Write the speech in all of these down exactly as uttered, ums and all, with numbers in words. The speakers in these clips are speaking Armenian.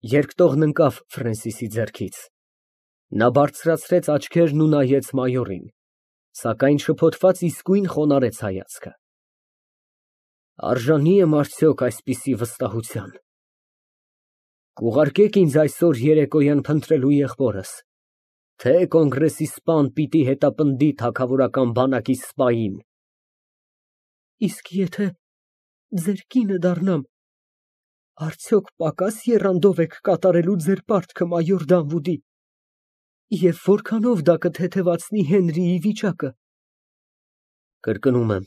Երկտողն ընկավ Ֆրենսիսի ձեռքից։ Նա բարձրացրեց աչքերն ու նայեց մայորին, սակայն շփոթված իսկույն խոնարհեց հայացքը։ Արժանի եմ արդյոք այսպիսի վստահության։ Կուղարկեք ինձ այսօր երեկոյան փնտրելու եղբորս, թե կոնգրեսի սպան պիտի հետապնդի թագավորական բանակի սպային։ Իսկ եթե ձեր կինը դառնամ, արդյոք պակաս եռանդով եք կատարելու ձեր պարտքը մայոր Դանվուդի, և որքանով դա կթեթևացնի Հենրիի վիճակը։ Կրկնում եմ,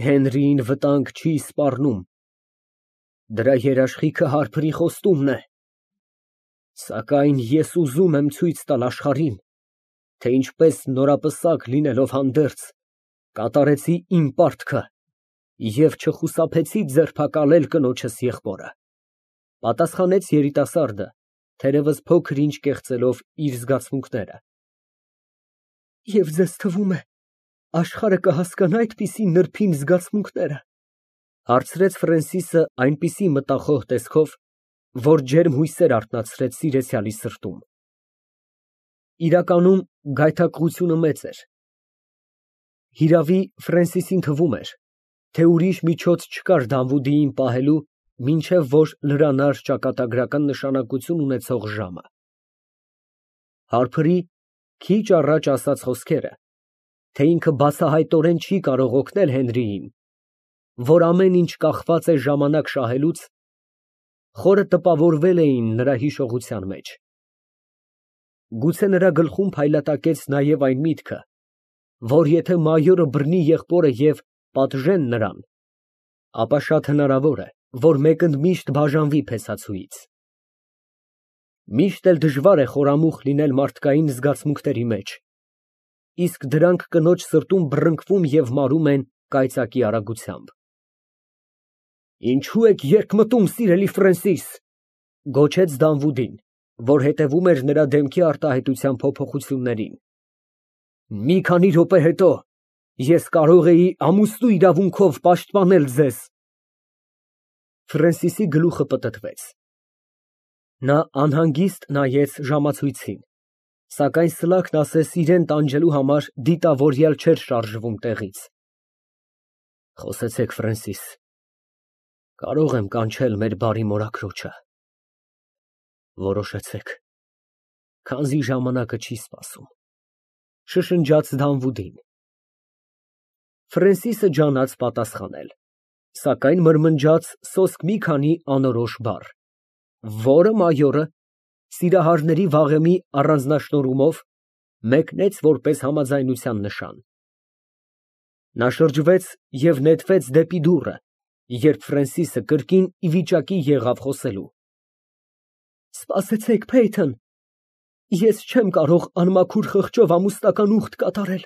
Հենրիին վտանգ չի սպառնում, դրա երաշխիքը Հարփրի խոստումն է, սակայն ես ուզում եմ ցույց տալ աշխարհին, թե ինչպես նորապսակ լինելով հանդերձ, կատարեցի իմ պարտքը և չխուսափեցի ձերբակալել կնոջս եղբորը, պատասխանեց երիտասարդը, թերևս փոքր-ինչ կեղծելով իր զգացմունքները։ Եվ ձեզ թվում է, աշխարհը կհասկանա այդպիսի նրբին զգացմունքները, հարցրեց Ֆրենսիսը այնպիսի մտախոհ տեսքով, որ ջերմ հույսեր արթնացրեց սիրեցյալի սրտում։ Իրականում գայթակղությունը մեծ էր։ Հիրավի, Ֆրենսիսին թվում էր, թե ուրիշ միջոց չկար Դանվուդիին պահելու, մինչև որ լրանար ճակատագրական նշանակություն ունեցող ժամը։ Հարփրի քիչ առաջ ասած խոսքերը, թե ինքը բացահայտորեն չի կարող օգնել Հենրիին, որ ամեն ինչ կախված է ժամանակ շահելուց, խորը տպավորվել էին նրա հիշողության մեջ։ Գուցե նրա գլխում փայլատակեց նաև այն միտքը, որ եթե մայորը բռնի եղբորը և պատժեն նրան, ապա շատ հնարավոր է, որ մեկընդմիշտ բաժանվի փեսացուից։ Միշտ էլ դժվար է խորամուխ լինել մարդկային զգացմունքների մեջ, իսկ դրանք կնոջ սրտում բռնկվում և մարում են կայծակի արագությամբ։ Ինչո՞ւ եք երկմտում, սիրելի Ֆրենսիս, գոչեց Դանվուդին, որ հետևում էր նրա դեմքի արտահայտության փոփոխություններին։ Մի քանի րոպե հետո ես կարող էի ամուսնու իրավունքով պաշտպանել ձեզ։ Ֆրենսիսի գլուխը պտտվեց։ Նա անհանգիստ նայեց ժամացույցին, սակայն Սլաքն ասես իրան տանջելու համար դիտավորյալ չէր շարժվում տեղից։ Խոսեցեք, Ֆրենսիս, կարող եմ կանչել մեր բարի մորաքրոջը։ Որոշեցեք, քանզի ժամանակը չի սպասում, շշնջաց Դանվուդին։ Ֆրենսիսը ջանաց պատասխանել, սակայն մրմնջաց սոսկ մի քանի անորոշ բառ, որը մայորը, սիրահարների վաղեմի առանձնաշնորհումով, մեկնեց որպես համաձայնության նշան։ Նա շրջվեց և նետվեց դեպի դուռը, երբ Ֆրենսիսը կրկին ի վիճակի եղավ խոսելու։ Սպասեցեք, Փեյթոն, ես չեմ կարող անմաքուր խղճով ամուսնական ուխտ կատարել։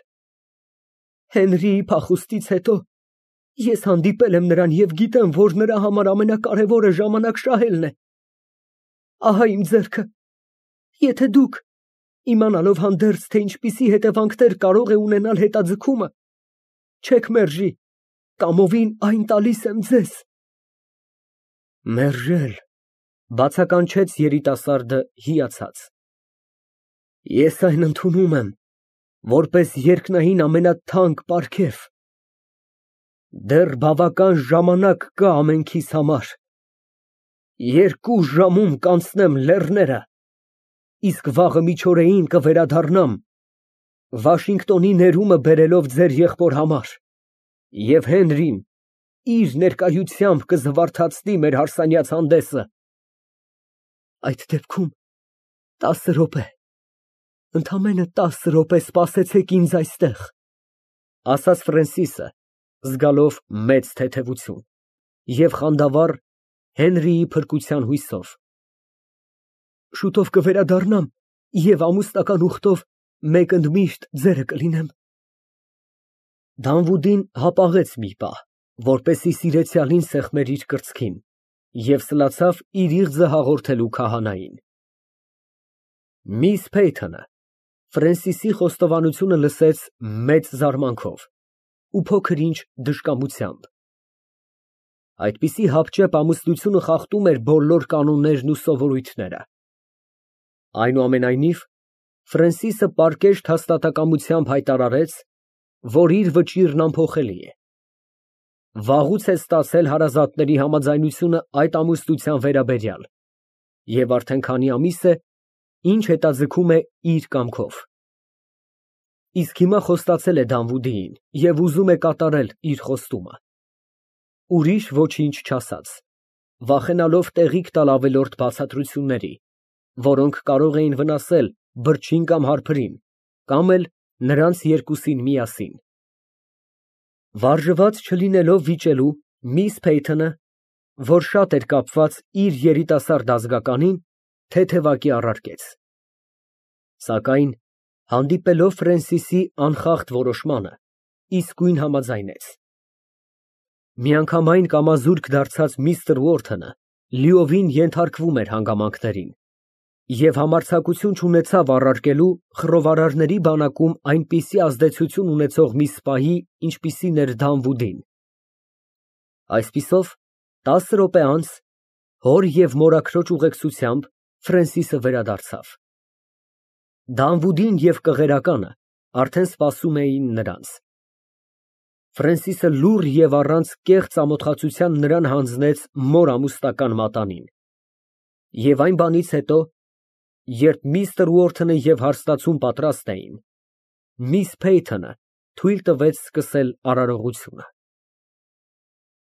Հենրիի փախուստից հետո ես հանդիպել եմ նրան և գիտեմ, որ նրա համար ամենակարևորը ժամանակ շահելն է։ Ահա իմ ձեռքը, եթե դուք, իմանալով հանդերձ, թե ինչպիսի հետևանքներ կարող է ունենալ հետաձգումը, չեք մերժի, կամովին այն տալիս եմ ձեզ։ Մերժել, բացականչեց երիտասարդը հիացած։ Ես այն ընդունում եմ, որպես երկնային ամենաթանկ պարգև։ Դեռ բավական ժամանակ կա ամենքիս համար։ Երկու ժամում կանցնեմ լեռները, իսկ վաղը միջօրեին կվերադառնամ, Վաշինգտոնի ներումը բերելով ձեր եղբոր համար, և Հենրին իր ներկայությամբ կզվարթացնի մեր հարսանյաց հանդեսը։ Այդ դեպքում տասը րոպե, ընդամենը տասը րոպե սպասեցեք ինձ այստեղ, ասաց Ֆրենսիսը, զգալով մեծ թեթևություն և խանդավառ Հենրիի փրկության հույսով։ Շուտով կվերադառնամ և ամուսնական ուխտով մեկընդմիշտ ձերը կլինեմ։ Դանվուդին հապաղեց մի պահ, որպեսզի սիրեցյալին սեղմեր իր կրծքին, և սլացավ իր իղձը հաղորդելու քահանային։ Միս Փեյթոնը Ֆրենսիսի խոստովանությունը լսեց մեծ զարմանքով ու փոքր ինչ դժկամությամբ։ Այդպիսի հապճեպ ամուսնությունը խախտում էր բոլոր կանոններն ու սովորույթները։ Այնուամենայնիվ, Ֆրենսիսը պարկեշտ հաստատակամությամբ հայտարարեց, որ իր վճիռն անփոխելի է։ Վաղուց է ստացել հարազատների համաձայնությունը այդ ամուսնության վերաբերյալ և արդեն քանի ամիս է, ինչ հետաձգում է իր կամքով։ Իսկ հիմա խոստացել է Դանվուդիին և ուզում է կատարել իր խոստումը։ Ուրիշ ոչինչ չասաց, վախենալով տեղիք տալ ավելորդ բացատրությունների, որոնք կարող էին վնասել բրջին կամ հարբրին, կամ էլ նրանց երկուսին միասին։ Վարժված չլինելով վիճելու, միս Փեյթոնը, որ շատ էր կապված իր երիտասարդ ազգականին, թեթևակի առարկեց։ Սակայն հանդիպելով Ֆրենսիսի անխախտ որոշմանը, իսկույն համաձայնեց։ Միանգամայն կամազուրկ դարձած միստր Ուորթոնը լիովին ենթարկվում էր հանգամանքներին և համարձակություն չունեցավ առարկելու խռովարարների բանակում այնպիսի ազդեցություն ունեցող մի սպայի, ինչպիսին էր Դանվուդին։ Այսպիսով, տասը րոպե անց, հոր և մորաքրոջ ուղեկցությամբ Ֆրենսիսը վերադարձավ։ Դանվուդին և կղերականը արդեն սպասում էին նրանց։ Ֆրենսիսը լուռ և առանց կեղծ ամոթխացության նրան հանձնեց մոր ամուսնական մատանին, և այն բանից հետո, երբ միստր Ուորթոնը և հարստացուն պատրաստ էին, միս Փեյթոնը թույլ տվեց սկսել արարողությունը։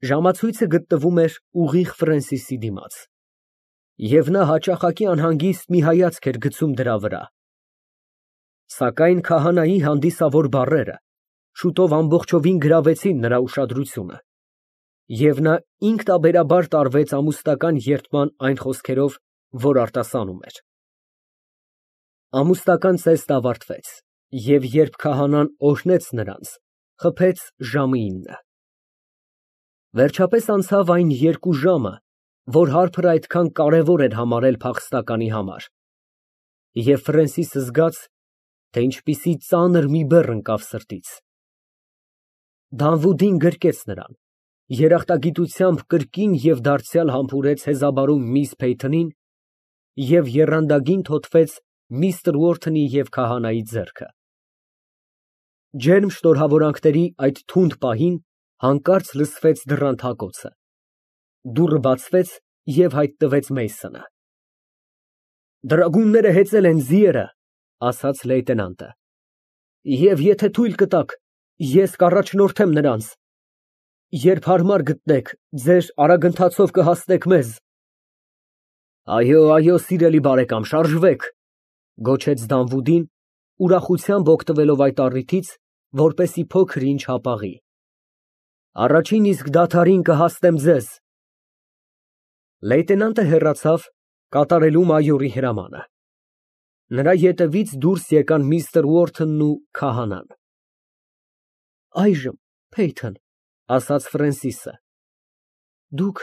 Ժամացույցը գտնվում էր ուղիղ Ֆրենսիսի դիմաց, և նա հաճախակի անհանգիստ մի հայացք էր գցում դրա վրա։ Սակայն քահանայի հանդիսավոր բառերը շուտով ամբողջովին գրավեցին նրա ուշադրությունը, և նա ինքնաբերաբար տարվեց ամուսնական երդման այն խոսքերով, որ արտասանում էր։ Ամուսնական ծեզն ավարտվեց, և երբ քահանան օրհնեց նրանց, խփեց ժամը ինը։ Վերջապես անցավ այն երկու ժամը, որ հարբը այդքան կարևոր էր համարել փախստականի համար, և Ֆրենսիսը զգաց, թե ինչպիսի ծանր մի բեռ ընկավ սրտից։ Դանվուդին գրկեց նրան, երախտագիտությամբ կրկին և դարձյալ համբուրեց հեզաբարում միս Փեյթոնին և եռանդագին թոթվեց միստր Ուորթոնի և քահանայի ձեռքը։ Ջերմ շնորհավորանքների այդ թունդ պահին հանկարծ լսվեց դռան թակոցը։ Դուռը բացվեց, և հայտնվեց Մեյսոնը։ «Դրագունները հեծել են ձիերը», ֊ ասաց լեյտենանտը, «և եթե թույլ կտաք, ես կառաջնորդեմ նրանց։ Երբ հարմար գտնեք, ձեր արագընթացով կհասնեք մեզ»։ «Այո, այո, սիրելի բարեկամ, շարժվեք», ֊ գոչեց Դանվուդին, ուրախությամբ օգտվելով այդ առիթից, որպեսզի փոքր ինչ հապաղի։ «Առաջին իսկ դադարին կհասնեմ ձեզ»։ Լեյտենանտը հեռացավ, կատարելու մայորի հրամանը։ Նրա ետևից դուրս եկան միստր Ուորթոնն ու քահանան։ «Այժմ, Փեյթոն, ֊ ասաց Ֆրենսիսը, ֊ դուք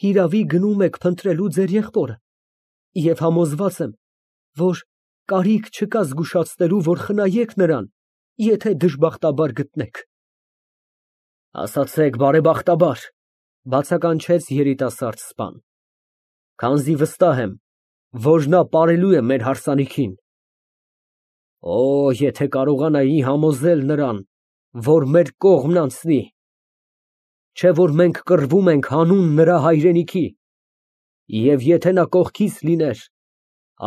հիրավի գնում եք փնտրելու ձեր եղբորը և համոզված եմ, որ կարիք չկա զգուշացնելու, որ խնայեք նրան, եթե դժբախտաբար գտնեք»։ «Ասացեք բարեբախտաբար», ֊ բացականչեց երիտասարդ սպան, «քանզի վստահ եմ, որ նա ապարելու է մեր հարսանիքին։ Օ, եթե կարողանայի համոզել նրան, որ մեր կողմն անցնի, չէ՞ որ մենք կռվում ենք հանուն նրա հայրենիքի, և եթե նա կողքիս լիներ,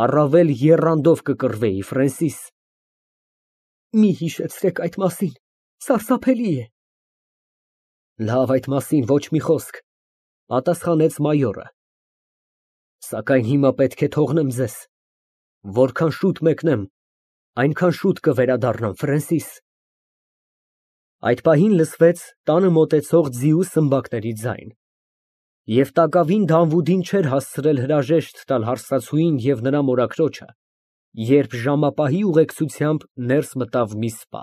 առավել եռանդով կկռվեի, Ֆրենսիս»։ «Մի հիշեցրեք այդ մասին, սարսափելի է»։ «Լավ, այդ մասին ոչ մի խոսք», ֊ պատասխանեց մայորը, «սակայն հիմա պետք է թողնեմ ձեզ։ Որքան շուտ մեկնեմ, այնքան շուտ կվերադառնամ, Ֆրենսիս»։ Այդ պահին լսվեց տանը մոտեցող ձիու սմբակների ձայն, և տակավին Դանվուդին չէր հասցրել հրաժեշտ տալ հարստացուին և նրա մորաքրոջը, երբ ժամապահի ուղեկցությամբ ներս մտավ մի սպա։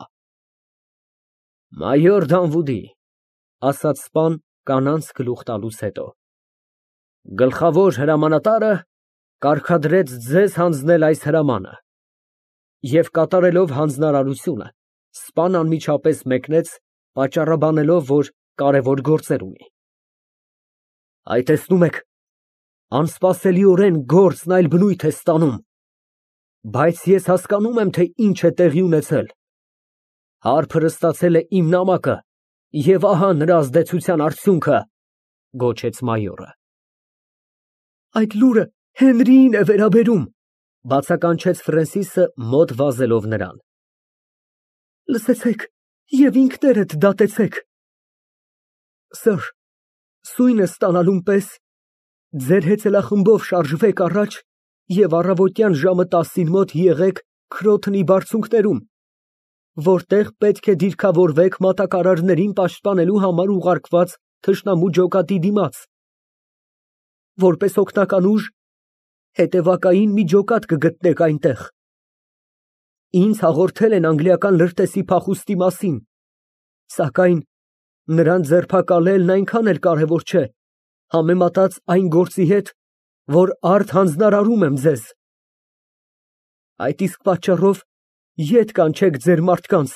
«Մայոր Դանվուդի», ֊ ասաց սպան կանանց գլուխ տալուց հետո, ֊ գլխավոր հրամանատարը կարգադրեց ձեզ հանձնել այս հրամանը։ Եվ կատարելով հանձնարարությունը, սպան անմիջապես մեկնեց, պատճառաբանելով, որ կարևոր գործեր ունի։ Այ տեսնում եք, անսպասելիորեն գործն այլ բնույթ է ստանում, բայց ես հասկանում եմ, թե ինչ է տեղի ունեցել։ Հարբը ստացել է իմ նամակը, և ահա նրա ազդեցության արդյունքը, գոչեց մայորը։ Այդ լուրը Հենրիին է վերաբերում, բացականչեց Ֆրենսիսը մոտ վազելով նրան։ Լսեցեք և ինքներդ դատեցեք։ Սըր, սույնը ստանալուն պես ձեր հեծելախմբով շարժվեք առաջ և առավոտյան ժամը տասին մոտ եղեք Քրոթնի բարձունքներում, որտեղ պետք է դիրքավորվեք մատակարարներին պաշտպանելու համար ուղարկված թշնամու ջոկատի դիմաց։ Որպես օգնական ուժ, հետևակային մի ջոկատ կգտնեք այնտեղ։ Ինձ հաղորդել են անգլիական լրտեսի փախուստի մասին, սակայն նրան ձերբակալելն այնքան էլ կարևոր չէ, համեմատած այն գործի հետ, որ արդ հանձնարարում եմ ձեզ։ Այդ իսկ պատճառով ետ կանչեք ձեր մարդկանց,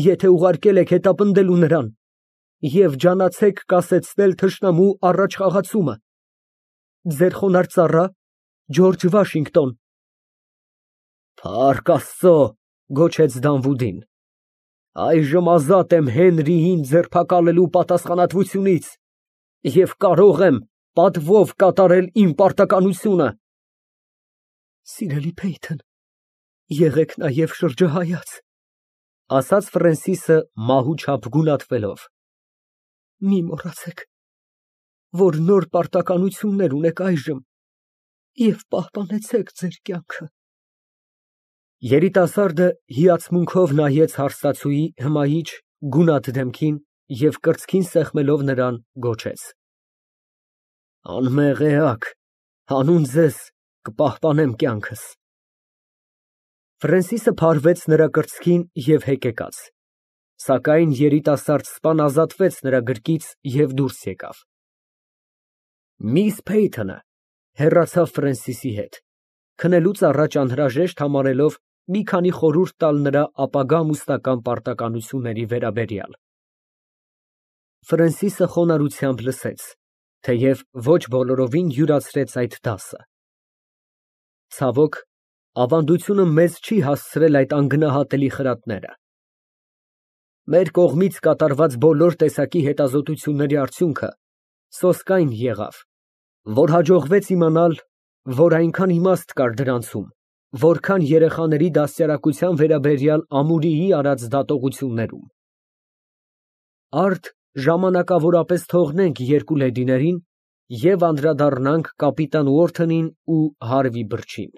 եթե ուղարկել եք հետապնդելու նրան, և ջանացեք կասեցնել թշնամու առաջխաղացումը։ Ձեր խոնարհ ծառա Ջորջ Վաշինգտոն։ Փառք Աստծո, գոչեց Դանվուդին, այժմ ազատ եմ Հենրիին ձերբակալելու պատասխանատվությունից և կարող եմ պատվով կատարել իմ պարտականությունը։ Սիրելի Փեյթոն, եղեք նաև շրջահայաց, ասաց Ֆրենսիսը մահու չափ գունատվելով։ Մի մոռացեք, որ նոր պարտականություններ ունեք այժմ, և պահպանեցեք ձեր կյանքը։ Երիտասարդը հիացմունքով նայեց հարսածուի հմայիչ, գունատ դեմքին և կրծքին սեղմելով նրան, գոչեց. Անմեղ էակ, հանուն ձեզ կպահպանեմ կյանքս։ Ֆրենսիսը փարվեց նրա կրծքին և հեկեկաց, սակայն երիտասարդ սպան ազատվեց նրա գրկից և դուրս եկավ։ Միս Փեյթոնը հեռացավ Ֆրենսիսի հետ, քնելուց առաջ անհրաժեշտ համարելով մի քանի խորհուրդ տալ նրա ապագա ամուսնական պարտականությունների վերաբերյալ։ Ֆրենսիսը խոնարհությամբ լսեց, թեև ոչ բոլորովին յուրացրեց այդ դասը։ Ցավոք, ավանդությունը մեզ չի հասցրել այդ անգնահատելի խրատները։ Մեր կողմից կատարված բոլոր տեսակի հետազոտությունների արդյունքը սոսկայն եղավ, որ հաջողվեց իմանալ, որ այնքան իմաստ կար դրանցում, որքան երեխաների դաստիարակության վերաբերյալ Ամուրիի արած դատողություններում։ Արդ ժամանակավորապես թողնենք երկու լեդիներին և անդրադառնանք կապիտան Ուորթոնին ու Հարվի Բրջին։